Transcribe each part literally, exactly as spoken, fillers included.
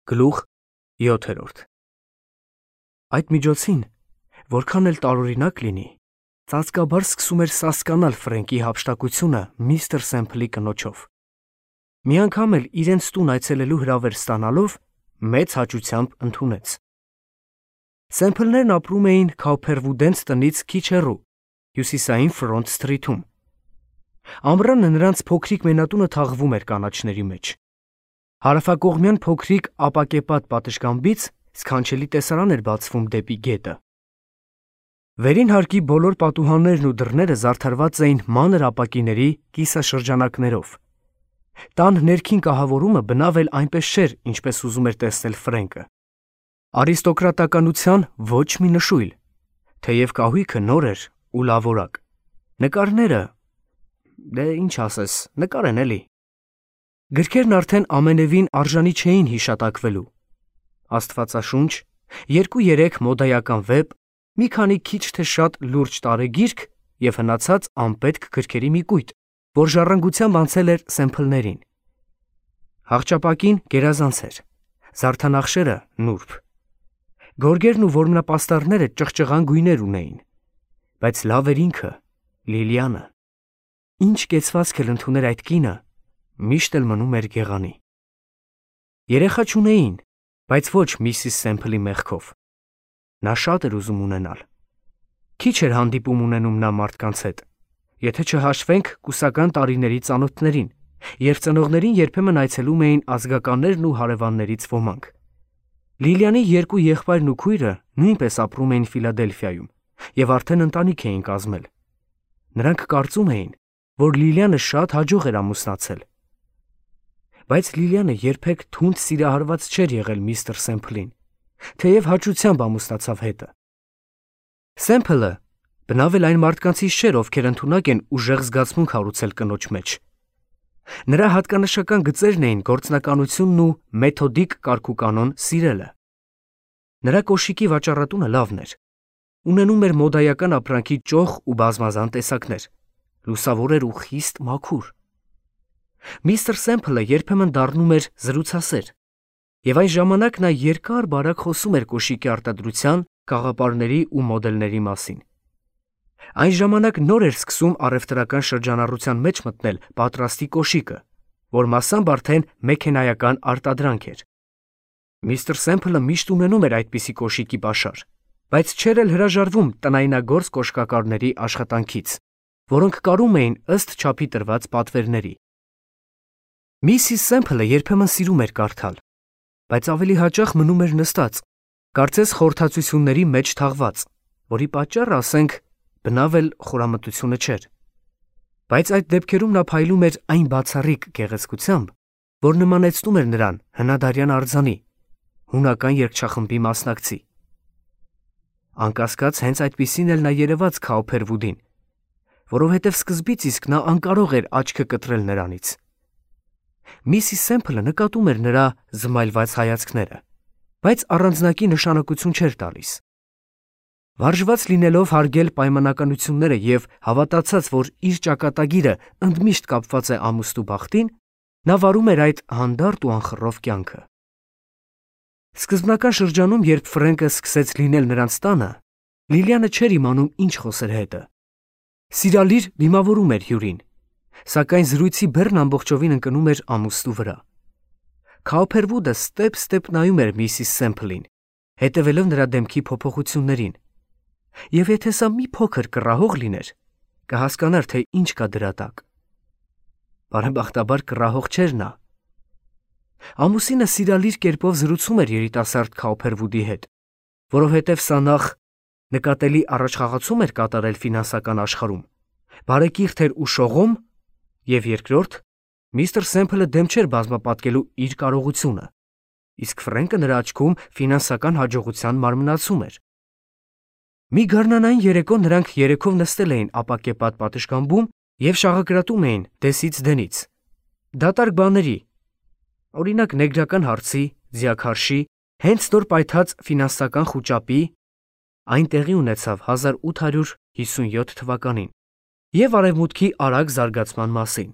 Գլուխ յոթերորդ Այդ միջոցին, որքան էլ տարօրինակ լինի, ծածկաբար սկսում էր սասկանալ Ֆրենկի հափշտակությունը միստր Սեմփլի կնոջով։ Մի անգամ էլ իրենց տուն այցելելու հրավեր ստանալով մեծ հաճությամբ ընդունեց։ Սեմփլներն ապրում էին Քաուփերվուդենց տնից քիչ հեռու, հյուսիսային Ֆրոնտ Սթրիթում։ Ամռանը նրանց փոքրիկ մենատունը թաղվում էր կանաչների մեջ։ Հարավակողմյան փոքրիկ ապակեպատ պատշգամբից սքանչելի տեսարան էր բացվում դեպի գետը։ Վերին հարկի բոլոր պատուհաններն ու դռները զարդարված էին մանր ապակիների կիսաշրջանակներով։ Տան ներքին կահավորումը բնավ էլ այնպես չէր, ինչպես ուզում էր տեսնել Ֆրենկը։ Արիստոկրատականության ոչ մի նշույլ, թեև կահույքը նոր էր ու լավորակ։ Նկարները, դե ինչ ասես, նկար են էլի։ Գրքերն արդեն ամենևին արժանի չէին հիշատակվելու։ Աստվածաշունչ, երկու-երեք մոդայական վեպ, մի քանի քիչ թե շատ լուրջ տարեգիրք և հնացած անպետք գրքերի մի կույտ, որ ժառանգությամբ անցել էր Սեմփլներին։ Հաղճապակին գերազանց էր, զարդանախշերը նուրբ։ Գորգերն ու որմնապաստառները ճղճղան գույներ ունեին, բայց լավ էր ինքը, Լիլիանը։ Ինչ կեցվածք էլ ընդուներ այդ կինը, միշտ էլ մնում էր գեղանի։ Երեխա չունեին, բայց ոչ միսիս Սեմփլի մեղքով։ Նա շատ էր ուզում ունենալ։ Քիչ էր հանդիպում ունենում նա մարդկանց հետ, եթե չհաշվենք կուսական տարիների ծանոթներին, երբ ծնողներին երբեմն այցելում էին ազգականներն ու հարևաններից ոմանք։ Լիլիանի երկու եղբայրն ու քույրը նույնպես ապրում էին Ֆիլադելֆիայում և արդեն ընտանիք էին կազմել։ Նրանք կարծում էին, որ Լիլիանը շատ հաջող էր ամուսնացել։ Բայց Լիլիանը երբեք թունդ սիրահարված չէր եղել միստր Սեմփլին, թեև հաճությամբ ամուսնացավ հետը։ Սեմփլը բնավ էլ այն մարդկանցից չէր, ովքեր ընդունակ են ուժեղ զգացմունք հարուցել կնոջ մեջ։ Նրա հատկանշական գծերն էին գործնականությունն ու մեթոդիկ կարգուկանոն սիրելը։ Նրա կոշիկի վաճառատունը լավն էր։ Ունենում էր մոդայական ապրանքի ճոխ ու բազմազան տեսակներ, լուսավոր էր ու խիստ մաքուր։ Միստր Սեմփլը երբեմն դառնում էր զրուցասեր, և այն ժամանակ նա երկար-բարակ խոսում էր կոշիկի արտադրության, կաղապարների ու մոդելների մասին։ Այն ժամանակ նոր էր սկսում առևտրական շրջանառության մեջ մտնել պատրաստի կոշիկը, որ մասամբ արդեն մեքենայական արտադրանք էր։ Միստր Սեմփլը միշտ ունենում էր այդպիսի կոշիկի պաշար, բայց չէր էլ հրաժարվում տնայնագործ կոշկակարների աշխատանքից, որոնք կարում էին ըստ չափի տրված պատվերների։ Միսիս Սեմփլը երբեմն սիրում էր կարդալ, բայց ավելի հաճախ մնում էր նստած, կարծես խորհրդածությունների մեջ թաղված, որի պատճառը, ասենք, բնավ էլ խորամտությունը չէր։ Բայց այդ դեպքերում նա փայլում էր այն բացառիկ գեղեցկությամբ, որ նմանեցնում էր նրան հնադարյան արձանի, հունական երգչախմբի մասնակցի։ Անկասկած հենց այդպիսին էլ նա երևաց Քաուփերվուդին, որովհետև սկզբից իսկ նա անկարող էր աչքը կտրել նրանից։ Միսիս Սեմփլը նկատում էր նրա զմայլված հայացքները, բայց առանձնակի նշանակություն չէր տալիս։ Վարժված լինելով հարգել պայմանականությունները և հավատացած, որ իր ճակատագիրը ընդմիշտ կապված է ամուսնու բախտին, նա վարում էր այդ հանդարտ ու անխռով կյանքը։ Սկզբնական շրջանում, երբ Ֆրենկը սկսեց լինել նրանց տանը, Լիլիանը չէր իմանում ինչ խոսեր հետը։ Սիրալիր դիմավորում էր հյուրին, սակայն զրույցի բեռն ամբողջովին ընկնում էր ամուսնու վրա։ Քաուփերվուդը ստեպ-ստեպ նայում էր միսիս Սեմփլին, հետևելով նրա դեմքի փոփոխություններին, և եթե սա մի փոքր կռահող լիներ, կհասկանար, թե ինչ կա դրա տակ։ Բարեբախտաբար կռահող չէր նա։ Ամուսինը սիրալիր կերպով զրուցում էր երիտասարդ Քաուփերվուդի հետ, որովհետև սա նախ նկատելի առաջխաղացում էր կատարել ֆինանսական աշխարհում, բարեկիրթ էր ու շողոմ, և երկրորդ, միստր Սեմփլը դեմ չէր բազմապատկելու իր կարողությունը, իսկ Ֆրենկը նրա աչքում ֆինանսական հաջողության մարմնացում էր։ Մի գարնանային երեկո նրանք երեքով նստել էին ապակեպատ պատշգամբում և շաղակրատում էին դեսից դենից, դատարկ բաների, օրինակ նեգրական հարցի, ձիաքարշի, հենց նոր պայթած ֆինանսական խուճապի (այն տեղի ունեցավ հազար ութ հարյուր հիսունյոթ թվականին) և արևմուտքի արագ զարգացման մասին։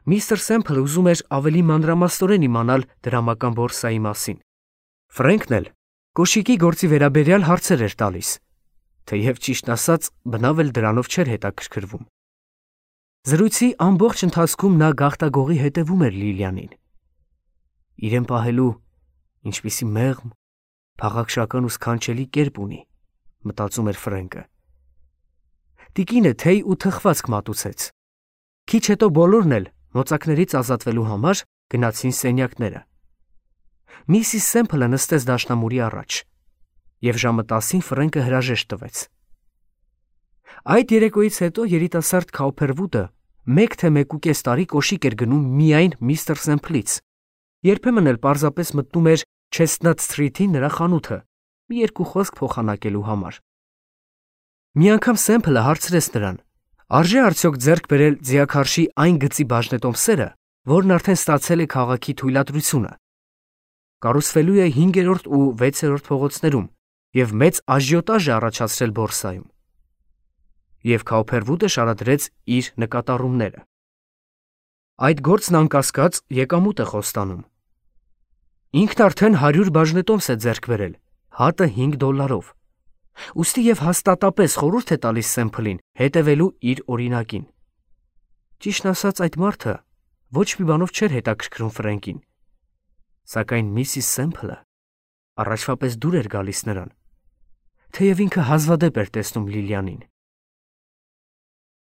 Միստր Սեմփլը ուզում էր ավելի մանրամասնորեն իմանալ դրամական բորսայի մասին։ Ֆրենքն էլ կոշիկի գործի վերաբերյալ հարցեր էր տալիս, թեև ճիշտ ասած բնավ էլ դրանով չէր հետաքրքրվում։ Զրույցի ամբողջ ընթացքում նա գաղտագողի հետևում էր Լիլիանին։ Իրեն պահելու ինչպիսի մեղմ, փաղաքշական ու սքանչելի կերպ ունի, մտածում էր Ֆրենկը։ Տիկինը թեյ ու թխվածք մատուցեց։ Քիչ հետո բոլորն էլ մոծակներից ազատվելու համար գնացին սենյակները։ Միսիս Սեմփլը նստեց դաշնամուրի առաջ, և ժամը տասին Ֆրենկը հրաժեշտ տվեց։ Այդ երեկոյից հետո երիտասարդ Քաուփերվուդը մեկ թե մեկուկես տարի կոշիկ էր գնում միայն միստր Սեմփլից, երբեմն էլ պարզապես մտնում էր Չեստնաթ Սթրիթի նրա խանութը մի երկու խոսք փոխանակելու համար։ Մի անգամ Սեմփլը հարցրեց նրան. արժե արդյոք ձեռք բերել ձիաքարշի այն գծի բաժնետոմսերը, որն արդեն ստացել է քաղաքի թույլատրությունը։ Կառուցվելու է հինգերորդ ու վեցերորդ փողոցներում և մեծ աժիոտաժ է առաջացրել բորսայում։ Եվ Քաուփերվուդը շարադրեց իր նկատառումները։ Այդ գործն անկասկած եկամուտ է խոստանում։ Ինքն արդեն հարյուր բաժնետոմս է ձեռք բերել, հատը հինգ դոլարով։ Ուստի և հաստատապես խորհուրդ է տալիս Սեմփլին հետևելու իր օրինակին։ Ճիշտն ասած, այդ մարդը ոչ մի բանով չէր հետաքրքրում Ֆրենկին, սակայն միսիս Սեմփլը առաջվա պես դուր էր գալիս նրան, թեև ինքը հազվադեպ էր տեսնում Լիլիանին։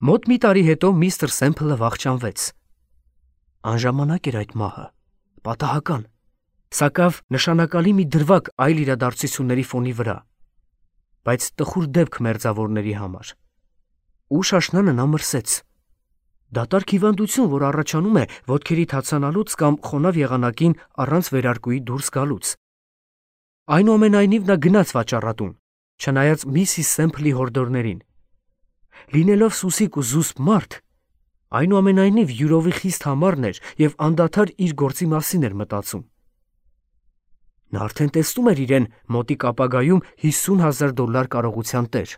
Մոտ մի տարի հետո միստր Սեմփլը վախճանվեց։ Անժամանակ էր այդ մահը, պատահական, սակավ նշանակալի մի դրվագ այլ իրադարձությունների ֆոնի վրա, բայց տխուր դեպք մերձավորների համար։ Ուշ աշնանը նա մրսեց։ Դատարկ հիվանդություն, որ առաջանում է ոտքերի թացանալուց կամ խոնավ եղանակին առանց վերարկուի դուրս գալուց։ Այնուամենայնիվ նա գնաց վաճառատուն, չնայած միսիս Սեմփլի հորդորներին։ Լինելով սուսիկ ու զուսպ մարդ, այնուամենայնիվ յուրովի խիստ համառն էր և անդադար իր գործի մասին էր մտածում։ Նա արդեն տեսնում էր իրեն մոտիկ ապագայում հիսուն հազար դոլար կարողության տեր։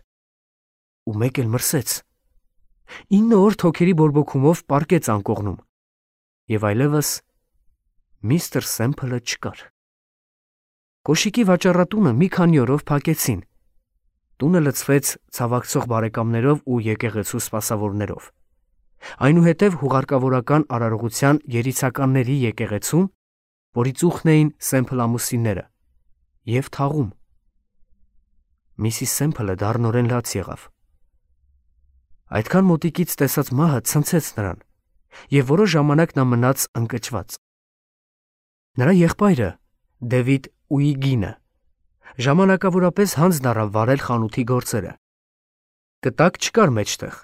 Ու մեկ էլ մրսեց։ Ինը օր թոքերի բորբոքումով պառկեց անկողնում, և այլևս միստր Սեմփլը չկար։ Կոշիկի վաճառատունը մի քանի օրով փակեցին։ Տունը լցվեց ցավակցող բարեկամներով ու եկեղեցու սպասավորներով։ Այնուհետև հուղարկավորական արարողության երիցականների եկեղեցում, որի ծուխն էին Սեմփլ ամուսինները, և թաղում։ Միսիս Սեմփլը դառնորեն լաց եղավ։ Այդքան մոտիկից տեսած մահը ցնցեց նրան, և որոշ ժամանակ նա մնաց ընկճված։ Նրա եղբայրը Դեվիդ Ուիգինը ժամանակավորապես հանձն առավ վարել խանութի գործերը։ Կտակ չկար մեջտեղ,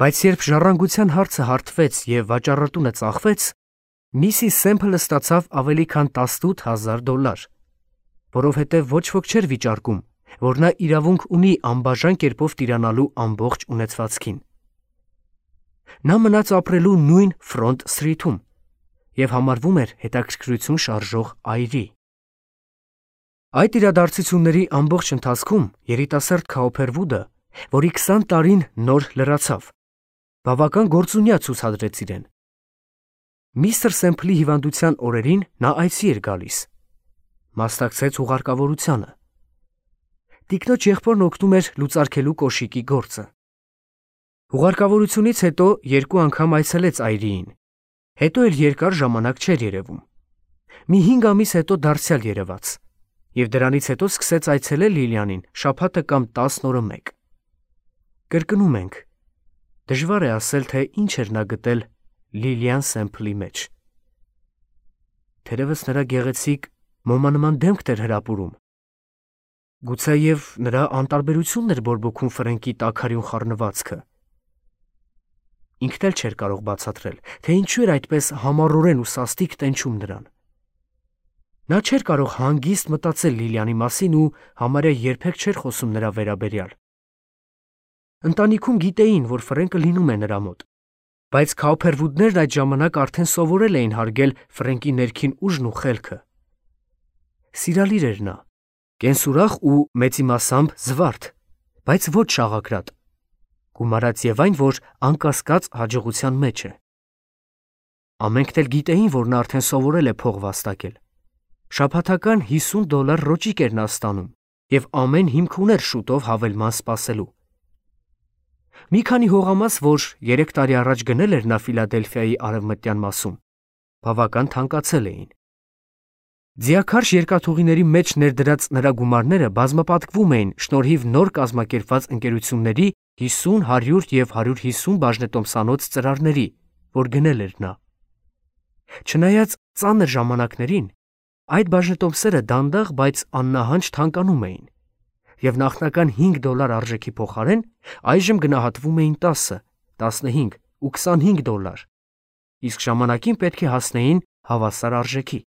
բայց երբ ժառանգության հարցը հարթվեց և վաճառատունը ծախվեց, միսիս Սեմփլը ստացավ ավելի քան տասնութ հազար դոլար, որովհետև ոչ ոք չէր վիճարկում, որ նա իրավունք ունի անբաժան կերպով տիրանալու ամբողջ ունեցվածքին։ Նա մնաց ապրելու նույն Ֆրոնտ Սթրիթում և համարվում էր հետաքրքրություն շարժող այրի։ Այդ իրադարձությունների ամբողջ ընթացքում երիտասարդ Քաուփերվուդը, որի քսան տարին նոր լրացավ, բավական գործունյա ցուցադրեց իրեն։ Միստր Սեմփլի հիվանդության օրերին նա այցի էր գալիս, մասնակցեց ուղարկավորությանը։ Տիկնոջ եղբորն օգնում էր լուծարկելու կոշիկի գործը։ Ուղարկավորությունից հետո երկու անգամ այցելեց այրիին, հետո էլ երկար ժամանակ չէր երևում։ Մի հինգ ամիս հետո դարձյալ երևաց, և դրանից հետո սկսեց այցելել Լիլիանին շաբաթը կամ տասն օրը մեկ։ Կրկնում ենք, դժվար է ասել, թե ինչ էր նա գտել Լիլիան Սեմփլի մեջ։ Թերևս նրա գեղեցիկ մոմանման դեմքն էր հրապուրում։ Գուցեև նրա անտարբերությունն էր բորբոքում Ֆրենկի տաքարյուն խառնվածքը։ Ինքն էլ չէր կարող բացատրել, թե ինչու էր այդպես համառորեն ու սաստիկ տենչում նրան։ Նա չէր կարող հանգիստ մտածել Լիլիանի մասին ու համարյա երբեք չէր խոսում նրա վերաբերյալ։ Ընտանիքում գիտեին, որ Ֆրենկը լինում է նրա մոտ, բայց Քաուփերվուդներն այդ ժամանակ արդեն սովորել էին հարգել Ֆրենկի ներքին ուժն ու խելքը։ Սիրալիր էր նա, կենսուրախ ու մեծիմասամբ զվարթ, բայց ոչ շաղակրատ, գումարած և այն, որ անկասկած հաջողության մեջ է։ Ամենքն էլ գիտեին, որ նա արդեն սովորել է փող վաստակել։ Շաբաթական հիսուն դոլար ռոճիկ էր նա ստանում և ամեն հիմք ուներ շուտով հավելման սպասելու։ Մի քանի հողամաս, որ երեք տարի առաջ գնել էր նա Ֆիլադելֆիայի արևմտյան մասում, բավական թանկացել էին։ Ձիաքարշ երկաթուղիների մեջ ներդրած նրա գումարները բազմապատկվում էին շնորհիվ նոր կազմակերպված ընկերությունների հիսուն, հարյուր և հարյուր հիսուն բաժնետոմսանոց ծրարների, որ գնել էր նա։ Չնայած ծանր ժամանակներին, այդ բաժնետոմսերը դանդաղ, բայց աննահանջ թանկանում էին, և նախնական հինգ դոլար արժեքի փոխարեն այժմ գնահատվում էին տասը, տասնհինգ ու քսանհինգ դոլար, իսկ ժամանակին պետք է հասնեին հավասար արժեքի։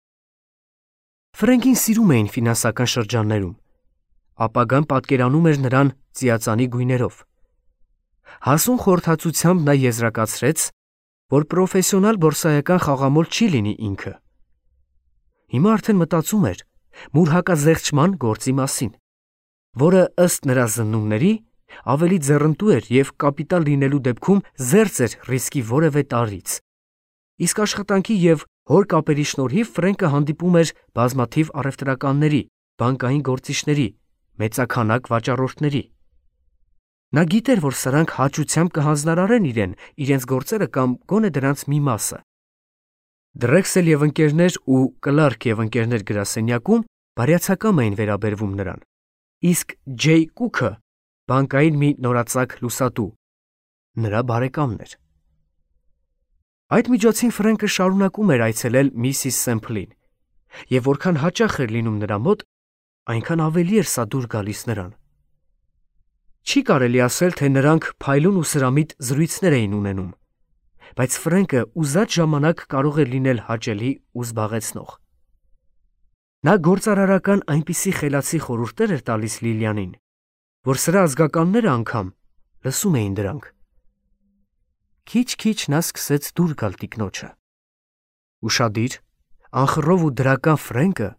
Ֆրենկին սիրում էին ֆինանսական շրջաններում, ապագան պատկերանում էր նրան ծիածանի գույներով։ Հասուն խորհրդածությամբ նա եզրակացրեց, որ պրոֆեսիոնալ բորսայական խաղամոլ չի լինի ինքը։ Հիմա արդեն մտածում էր մուր հակազերծման գործի մասին, որը ըստ նրա զննումների ավելի ձեռնտու էր և կապիտալ լինելու դեպքում զերծ էր ռիսկի որևէ տարրից։ Իսկ աշխատանքի և հոր կապերի շնորհիվ Ֆրենկը հանդիպում էր բազմաթիվ առևտրականների, բանկային գործիչների, մեծաքանակ վաճառորդների։ Նա գիտեր, որ սրանք հաճությամբ կհանձնարարեն իրեն իրենց գործերը կամ գոնե դրանց մի մասը։ Դրեքսել և ընկերներ ու Կլարկ և ընկերներ գրասենյակում բարյացակամ էին վերաբերվում նրան, իսկ Ջեյ Կուքը, բանկային մի նորածակ լուսատու, նրա բարեկամն էր։ Այդ միջոցին Ֆրենկը շարունակում էր այցելել միսիս Սեմփլին, և որքան հաճախ էր լինում նրա մոտ, այնքան ավելի էր սա դուր գալիս նրան։ Չի կարելի ասել, թե նրանք փայլուն ու սրամիտ զրույցներ էին ունենում, բայց Ֆրենկը ուզած ժամանակ կարող էր լինել հաճելի ու զբաղեցնող։ Նա գործարարական այնպիսի խելացի խորհուրդներ էր տալիս Լիլիանին, որ սրա ազգականները անգամ լսում էին դրանք։ Քիչ-քիչ նա սկսեց դուր գալ տիկնոջը։ Ուշադիր, անխռով ու դրական Ֆրենկը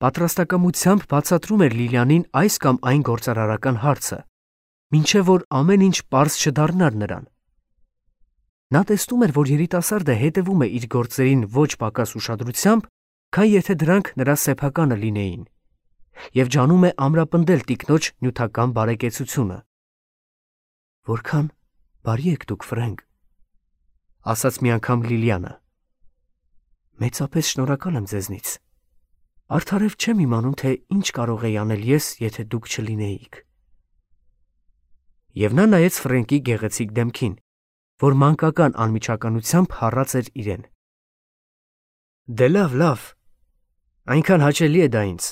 պատրաստակամությամբ բացատրում էր Լիլիանին այս կամ այն գործարարական հարցը, մինչև որ ամեն ինչ պարզ չդառնար նրան։ Նա տեսնում էր, որ երիտասարդը հետևում է իր գործերին ոչ պակաս ուշադրությամբ, քան եթե դրանք նրա սեփականը լինեին, և ջանում է ամրապնդել տիկնոջ նյութական բարեկեցությունը։ «Որքան բարի եք դուք, Ֆրենկ», ասաց մի անգամ Լիլիանը։ «Մեծապես շնորհակալ եմ ձեզնից։ Արդարև չեմ իմանում, թե ինչ կարող էի անել ես, եթե դուք չլինեիք»։ Եվ նա նայեց Ֆրենկի գեղեցիկ դեմքին, որ մանկական անմիջականությամբ հառած էր իրեն։ «Դե լավ, լավ, այնքան հաճելի է դա ինձ։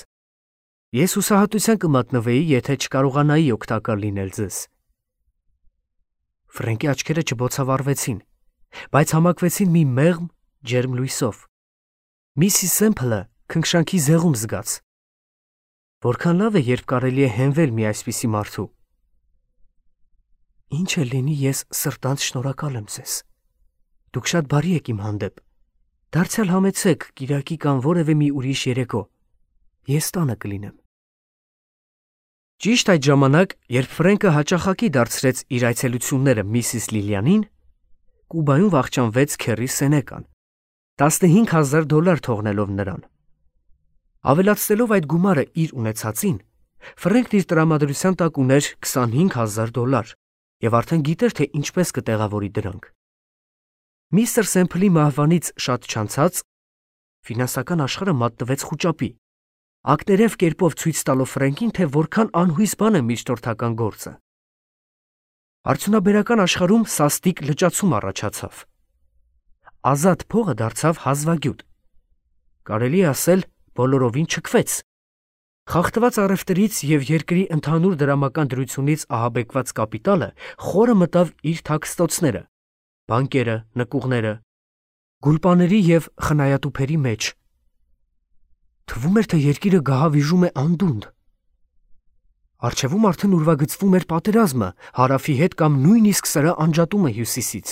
Ես հուսահատության կմատնվեի, եթե չկարողանայի օգտակար լինել ձեզ»։ Ֆրենկի աչքերը չբոցավառվեցին, բայց համակվեցին մի մեղմ, ջերմ լույսով։ Միսիս Սեմփլը քնքշանքի զեղում զգաց։ Որքան լավ է, երբ կարելի է հենվել մի այսպիսի մարդու։ Ինչ էլ լինի, ես սրտանց շնորհակալ եմ ձեզ։ Դուք շատ բարի եք իմ հանդեպ։ Դարձյալ համեցեք կիրակի կամ որևէ մի ուրիշ երեկո։ Ես տանը կլինեմ։ Ճիշտ այդ ժամանակ, երբ Ֆրենկը հաճախակի դարձրեց իր այցելությունները միսիս Լիլիանին, Կուբայում վախճանվեց քեռի Սենեկան, տասնհինգ հազար դոլար թողնելով նրան։ Ավելացնելով այդ գումարը իր ունեցածին, Ֆրենկն իր տրամադրության տակ ուներ քսանհինգ հազար դոլար և արդեն գիտեր, թե ինչպես կտեղավորի դրանք։ Միստր Սեմփլի մահվանից շատ չանցած ֆինանսական աշխարհը մատնվեց խուճապի, ակներև կերպով ցույց տալով Ֆրենկին, թե որքան անհույս բան է միջնորդական գործը։ Արդյունաբերական աշխարհում սաստիկ լճացում առաջացավ։ Ազատ փողը դարձավ հազվագյուտ։ Կարելի է ասել, բոլորովին չքվեց։ Խախտված առևտրից և երկրի ընդհանուր դրամական դրությունից ահաբեկված կապիտալը խորը մտավ իր թաքստոցները, բանկերը, նկուղները, գուլպաների և խնայատուփերի մեջ։ Թվում էր, թե երկիրը գահավիժում է անդունդը։ Առջևում արդեն ուրվագծվում էր պատերազմը հարավի հետ կամ նույնիսկ սրա անջատումը հյուսիսից։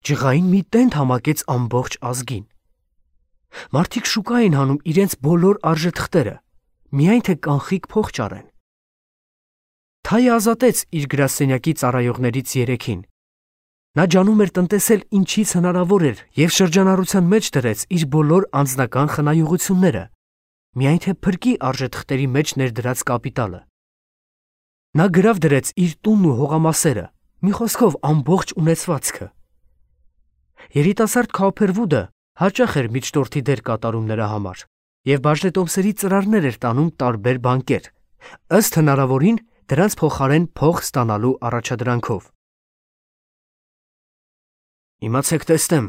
Ջղային մի տենդ համակեց ամբողջ ազգին։ Մարդիկ շուկա էին հանում իրենց բոլոր արժեթղթերը, միայն թե կանխիկ փող ճարեն։ Թայը ազատեց իր գրասենյակի ծառայողներից երեքին, Նա ջանում էր տնտեսել ինչից հնարավոր էր և շրջանառության մեջ դրեց իր բոլոր անձնական խնայողությունները, միայն թե փրկի արժեթղթերի մեջ ներդրած կապիտալը։ Նա գրավ դրեց իր տունն ու հողամասերը, մի խոսքով ամբողջ ունեցվածքը։ Երիտասարդ Քոփերվուդը հաճախ էր միջնորդի դեր կատարում նրա համար և բաժնետոմսերի ծրարներ էր տանում տարբեր բանկեր, ըստ հնարավորին դրանց փոխարեն փող ստանալու առաջադրանքով։ Իմացեք տեսնեմ,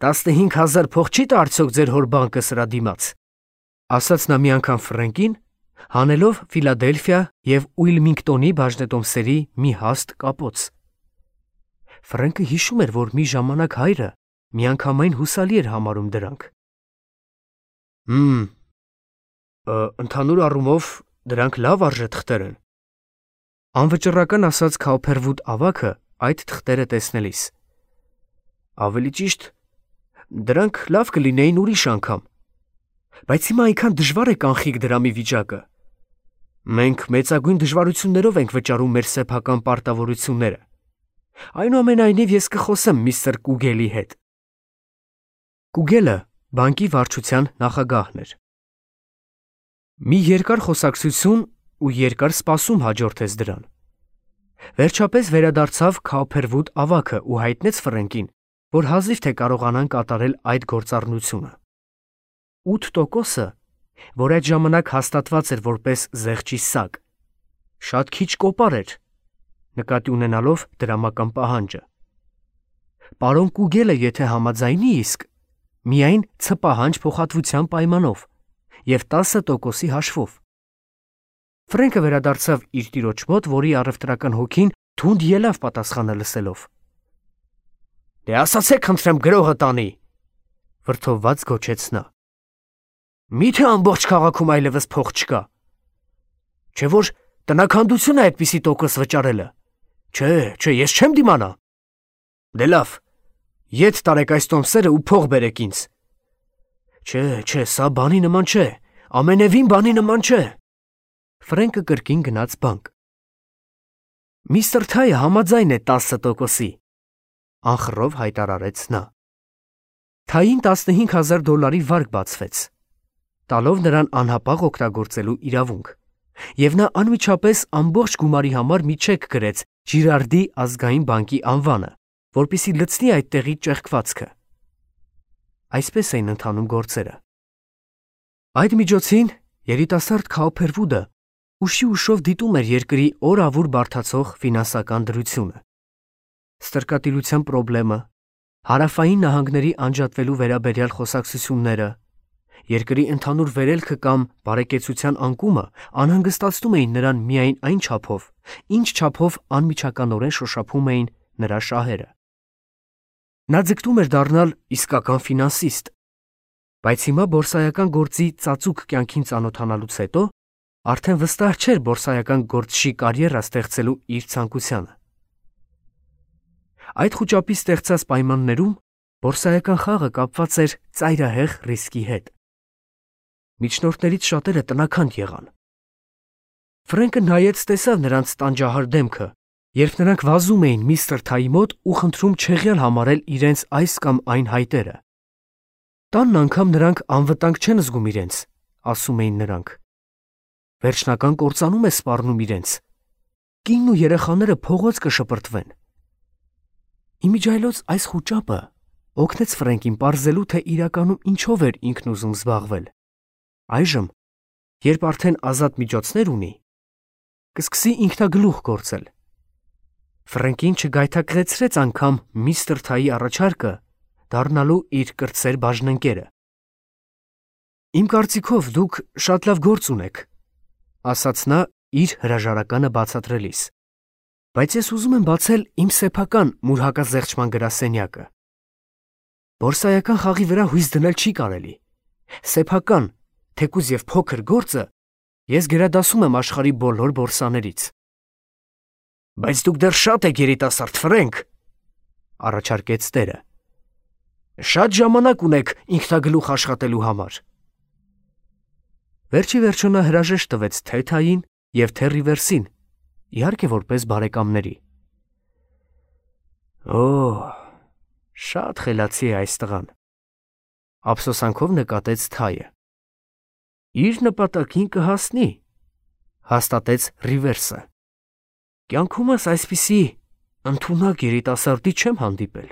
տասնհինգ հազար փող չի՞ տա արդյոք ձեր հոր բանկը սրա դիմաց, ասաց նա մի անգամ Ֆրենկին, հանելով Ֆիլադելֆիա և Ուիլմինգտոնի բաժնետոմսերի մի հաստ կապոց։ Ֆրենկը հիշում էր, որ մի ժամանակ հայրը միանգամայն հուսալի էր համարում դրանք։ Հմ, ընդհանուր առումով դրանք լավ արժեթղթեր են, անվճռական ասաց Քոփերվուդ ավագը այդ թղթերը տեսնելիս։ Ավելի ճիշտ, դրանք լավ կլինեին ուրիշ անգամ, բայց հիմա այնքան դժվար է կանխիկ դրամի վիճակը։ Մենք մեծագույն դժվարություններով ենք վճարում մեր սեփական պարտավորությունները։ Այնուամենայնիվ ես կխոսեմ միստր Կուգելի հետ։ Կուգելը բանկի վարչության նախագահն էր։ Մի երկար խոսակցություն ու երկար սպասում հաջորդեց դրան։ Վերջապես վերադարձավ Քոփերվուդ ավագը ու հայտնեց Ֆրենկին, որ հազիվ թե կարողանան կատարել այդ գործառնությունը։ ութ տոկոսը, որ այդ ժամանակ հաստատված էր որպես զեղչի սակ, շատ քիչ կոպար էր, նկատի ունենալով դրամական պահանջը։ Պարոն Կուգելը եթե համաձայնի իսկ, միայն ցպահանջ փոխհատվության պայմանով և տասը տոկոսի հաշվով։ Ֆրենկը վերադարձավ իր տիրոջ մոտ, որի առևտրական հոգին թունդ ելավ պատասխանը լսելով։ Դե ասացեք, խնդրեմ, գրողը տանի, վրդովված գոչեց նա։ Մի՞թե ամբողջ քաղաքում այլևս փող չկա։ Չէ՞ որ տնաքանդություն է այդպիսի տոկոս վճարելը։ Չէ, չէ, ես չեմ դիմանա։ Դե լավ, ետ տարեք այս տոմսերը ու փող բերեք ինձ։ Չէ, չէ, սա բանի նման չէ, ամենևին բանի նման չէ։ Ֆրենկը կրկին գնաց բանկ։ Միստր Թայը համաձայն է տասը տոկոսի, անխռով հայտարարեց նա։ Թային տասնհինգ հազար դոլարի վարկ բացվեց, տալով նրան անհապաղ օգտագործելու իրավունք, և նա անմիջապես ամբողջ գումարի համար մի չեք գրեց Ջիրարդի ազգային բանկի անվանը, որպեսզի լցնի այդտեղի ճեղքվածքը։ Այսպես էին ընթանում գործերը։ Այդ միջոցին երիտասարդ Քոփերվուդը ուշի ուշով դիտում էր երկրի օր-ավուր բարդացող ֆինանսական դրությունը։ Ստրկատիրության պրոբլեմը, հարավային նահանգների անջատվելու վերաբերյալ խոսակցությունները, երկրի ընդհանուր վերելքը կամ բարեկեցության անկումը անհանգստացնում էին նրան միայն այն չափով, ինչ չափով անմիջականորեն շոշափում էին նրա շահերը։ Նա ձգտում էր դառնալ իսկական ֆինանսիստ, բայց հիմա բորսայական գործի ծածուկ կյանքին ծանոթանալուց հետո արդեն վստահ չէր բորսայական գործչի կարիերա ստեղծելու իր ցանկությանը։ Այդ խուճապի ստեղծած պայմաններում բորսայական խաղը կապված էր ծայրահեղ ռիսկի հետ։ Միջնորդներից շատերը տնաքանդ եղան։ Ֆրենկը նայեց տեսավ նրանց տանջահար դեմքը, երբ նրանք վազում էին միստր Թայի մոտ ու խնդրում չեղյալ համարել իրենց այս կամ այն հայտերը։ Տանն անգամ նրանք անվտանգ չեն զգում իրենց, ասում էին նրանք։ Վերջնական կործանում է սպառնում իրենց։ Կինն ու երեխաները փողոց կշպրտվեն։ Իմիջայլոց այս խուճապը օգնեց Ֆրենկին պարզելու, թե իրականում ինչով էր ինքն ուզում զբաղվել։ Այժմ, երբ արդեն ազատ միջոցներ ունի, կսկսի ինքնագլուխ գործել։ Ֆրենկին չգայթակղեցրեց անգամ միստր Թայի առաջարկը դառնալու իր կրտսեր բաժնընկերը։ Իմ կարծիքով դուք շատ լավ գործ ունեք, ասաց նա իր հրաժարականը բացատրելիս, բայց ես ուզում եմ բացել իմ սեփական մուրհակազեղչման գրասենյակը։ Բորսայական խաղի վրա հույս դնել չի կարելի։ Սեփական, թեկուզ և փոքր գործը ես գերադասում եմ աշխարհի բոլոր բորսաներից։ Բայց դուք դեռ շատ եք երիտասարդ, Ֆրենկ, առաջարկեց տերը։ Շատ ժամանակ ունեք ինքնագլուխ աշխատելու համար։ Վերջի վերջո նա հրաժեշտ տվեց թե Թային և թե Ռիվերսին, իհարկե որպես բարեկամների։ Օ, շատ խելացի է այս տղան, ափսոսանքով նկատեց Թայը։ Իր նպատակին կհասնի, հաստատեց Ռիվերսը։ Կյանքումս այսպիսի ընդունակ երիտասարդի չեմ հանդիպել։